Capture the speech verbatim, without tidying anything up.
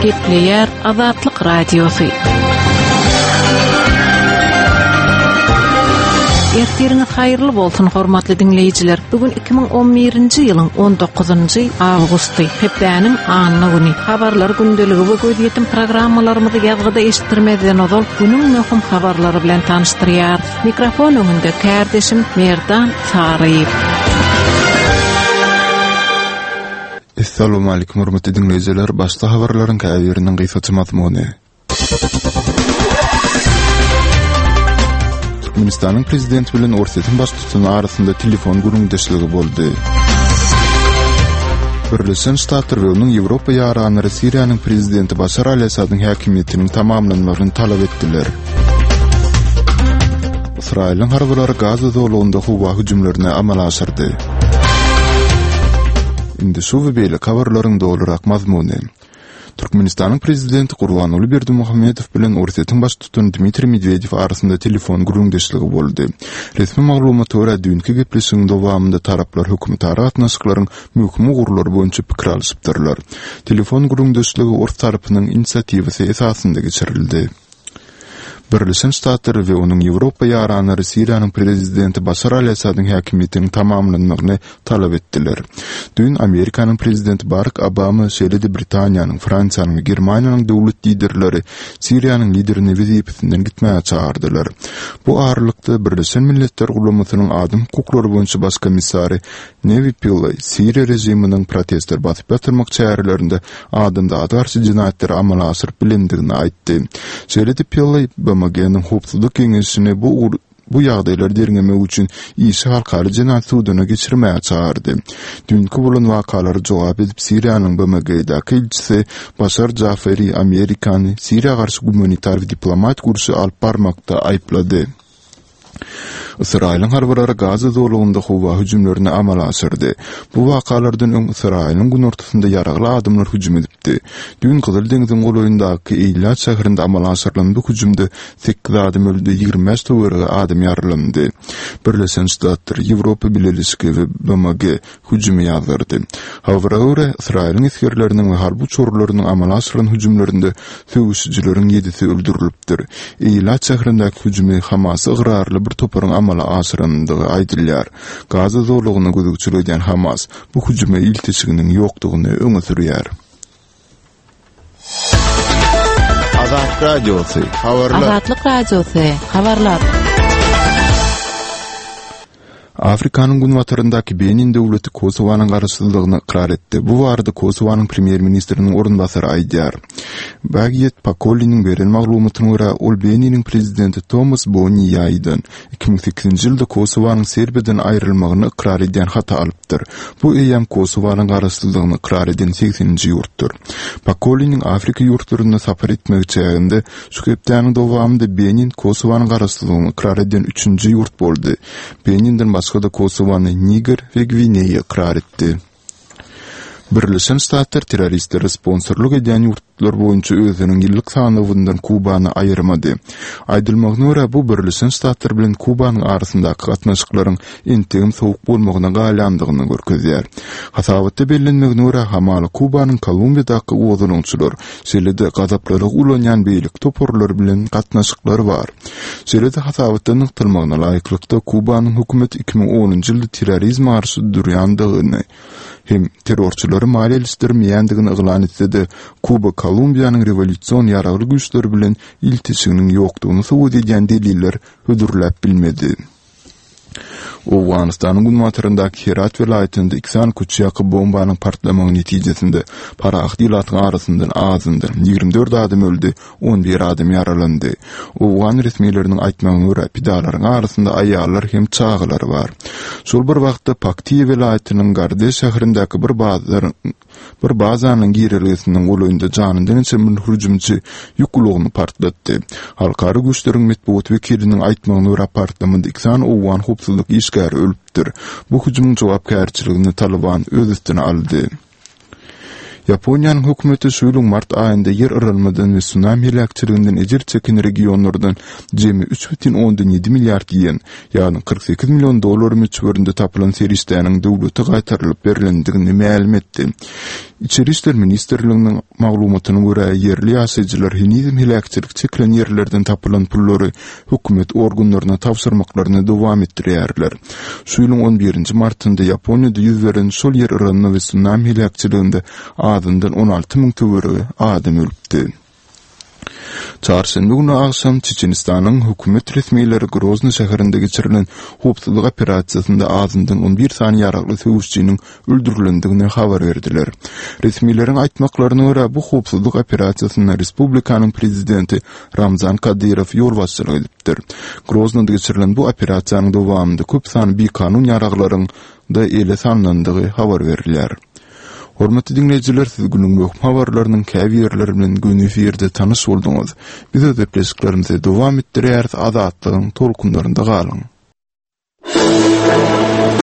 Gepleýär Azatlyk Radiosy. Ertiriňiz haýyrly bolsun, hormatly diňleýjiler. Bu gün iki müň on birinji ýylyň on dokuzynjy awgusty, hepdäniň anna güni. Habarlar gündeligi we gözýetim programmalarymyzy ýazgyda eşitdirmezden ozal günüň möhüm habarlary bilen tanyşdyrýar. Mikrofon öňünde kärdeşim Merdan Saryýew. Assalamu alaykum hormatly dinleýjiler. Başda habarlaryň käbiriniň gysgaça mazmuny. Türkmenistanyň prezidenti bilen Orsýetiň baştutany arasynda telefon gürrüňdeşligi boldy. Birleşen Ştatlar we onuň Ýewropa ýaranlary Siriýanyň prezidenti Başar al-Assadyň häkimiýetiniň tamamlanmagyny talap etdiler. Ysraýylyň harbylary Gaza zolagynda howa hüjümlerini amala aşyrdy. Indi şu we beýleki habarlaryň dolurak mazmuny. Türkmenistanyň prezidenti Gurbanguly Berdimuhamedow bilen Orsýetiň baştutany Dmitriý Medwedew arasynda telefon gürrüňdeşligi boldy. Resmi maglumata görä, düýnki gepleşigiň dowamynda taraplar hökümetara gatnaşyklaryň möhüm ugurlary boýunça pikir alyşypdyrlar. Telefon gürrüňdeşligi ors tarapynyň inisiatiwasy esasynda geçirildi. Birleşen Ştatlar we onuň Ýewropa ýaranlary Siriýanyň prezidenti Başar al-Assadyň häkimiýetiniň tamamlanmagyny talap etdiler. Düýn Amerikanyň prezidenti Barak Obama, şeýle-de Britaniýanyň, Fransiýanyň we Germaniýanyň döwlet liderleri Siriýanyň liderini wezipesinden gitmäge çagyrdylar. Bu aralykda Birleşen Milletler Guramasynyň adam hukuklary boýunça baş komissary Newi Pillay Siriýa režiminiň protestleri basyp ýatyrmak çärelerinde adamzada garşy jenaýatlary amala aşyryp bilendigini aýtdy. Şeýle-de Pillay B M G-niň Howpsuzlyk Geňeşini bu ugur bu ýagdaýlary derňemek üçin işi halkara jenaýat suduna geçirmäge çagyrdy. Düýnki bolan wakalara jogap edip Siriýanyň B M G-däki ilçisi Başar Jaferi Amerikany Siriýa garşy gumanitar we diplomatik urşy alyp barmakda aýyplady. Ysraýylyň harbylary Gaza zolagynda howa hüjümlerini amala aşyrdy. Bu wakalardan öň Ysraýylyň günortasynda ýaragly adamlar hüjüm edipdi. Düýn Gyzyl deňziň golaýyndaky Eýlat şäherinde amala aşyrylan bu hüjümde sekiz adam öldi, ýigrimi bäş töweregi adam ýaralandy. Birleşen Ştatlar, Ýewropa Bileleşigi we B M G hüjümi ýazdyrdy. Habara görä, Ysraýylyň esgerleriniň we harby uçarlarynyň amala aşyran hüjümlerinde söweşijileriň ýedisi öldürilipdir. Eýlat şäherindäki hüjümi Hamasa ygrarly bir toparyň amala aşyrandygy aýdylýar. Gaza zolagyna gözegçilik edýän Hamas bu hüjüme ilteşiginiň ýokdugyny öňe sürýär. Azatlyk Radiosy, habarlar. Azatlyk Radiosy, habarlar. Afrikanyň günbataryndaky Benin döwleti Kosowanyň garaşsyzlygyny ykrar etdi. Bu barada Kosowanyň premýer-ministriniň orunbasary aýdýar. Bagiýet Pakoliniň beren maglumatyna görä, ol Beniniň prezidenti Tomas Boni Ýaýdan iki müň sekizinji ýylda Kosowanyň Serbiýadan aýrylmagyny ykrar edýän haty alypdyr. Bu eýýäm Kosowanyň garaşsyzlygyny ykrar eden segseninji ýurtdur. Pakoliniň Afrika ýurtlarynda sapar etmegi çäginde şu hepdäniň dowamynda Benin Kosowanyň garaşsyzlygyny ykrar eden üçünji ýurt boldy. Beninden başga-da Kosowany Niger we Gwineýa ykrar etdi. Birleşen Ştatlar terroristlere sponsorlyk edýän ýurtlar boýunça özüniň ýyllyk sanawyndan Kubany aýyrmady. Aýdylmagyna görä, bu Birleşen Ştatlar bilen Kubanyň arasyndaky gatnaşyklaryň entegem sowuk bolmagyna galýandygyny görkezýär. Hasabatda bellenmegine görä, hamala Kubanyň Kolumbiýadaky gozgalaňçylar, şeýle-de gazaplylygy ulanýan beýleki toparlar bilen gatnaşyklary bar. Şeýle-de hasabatda nygtalmagyna laýyklykda, Kubanyň hökümeti iki müň onunjy ýylda terrorizme garşy durýandygyny hem terrorçylary maliýeleşdirmeýändigini yglan etse-de, Kuba Kolumbiýanyň rewolýusion ýaragly güýçleri bilen ilteşiginiň ýokdugyny subut edýän deliller hödürläp bilmedi. Owganystanyň günbataryndaky Herat welaýatynda iki sany köçe ýaka bombanyň partlamagy netijesinde parahat ilatyň arasyndan azyndan ýigrimi dört adam öldi, on bir adam ýaralandy. Owgan resmileriniň aýtmagyna görä, pidalaryň arasynda aýallar hem çagalar bar. Şol bir wagtda Paktiýa welaýatynyň Gardeş şäherindäki bir bazaryň bir bazanyň girelgesiniň golaýynda janyndan geçen bir hüjümçi ýük ulagyny partlatdy. Halkara güýçleriň metbugat wekiliniň aýtmagyna görä, partlamada iki sany owgan howpsuzlyk işgäri ölüpdir. Bu hüjümiň jogapkärçiligini Taliban öz üstüne aldy. Ýaponiýanyň hökümeti şu ýylyň mart aýynda ýer yralmadan we tsunami heläkçiliginden ejir çeken regionlardan jemi üç bütin ondan ýedi milliard ýen, ýagny kyrk sekiz million dollar möçberinde tapylan serişdäniň döwlete gaýtarylyp berlendigini mälim etdi. Içeri işler ministrliginiň maglumatyna görä, ýerli ýaşaýjylar henizem heläkçilik çekilen ýerlerden tapylan pullary hökümet organlaryna tabşyrmaklaryny dowam etdirýärler. Şu ýylyň on birinji martynda Ýaponiýada ýüz beren şol ýer yranma we sunami heläkçiliginde azyndan on alty müň töweregi adam ölüpdi. Çarşenbe güni agşam Çeçenistanyň hökümet resmileri Grozny şäherinde geçirilen howpsuzlyk operasiýasynda azyndan on bir sany ýaragly söweşçiniň öldürilendigini habar berdiler. Resmileriň aýtmaklaryna görä, bu howpsuzlyk operasiýasynda respublikanyň prezidenti Ramzan Kadyrow ýolbaşçylyk edipdir. Groznada geçirilen bu operasiýanyň dowamynda köp sany bikanun ýaraglaryň da ele salnandygy habar berilýär. Hormatly diňleýjiler, siz günüň möhüm habarlarynyň käbirleri bilen göni efirde tanyş bolduňyz. Biz öz gepleşiklerimizi dowam etdirýäris, Azatlygyň tolkunlarynda galyň.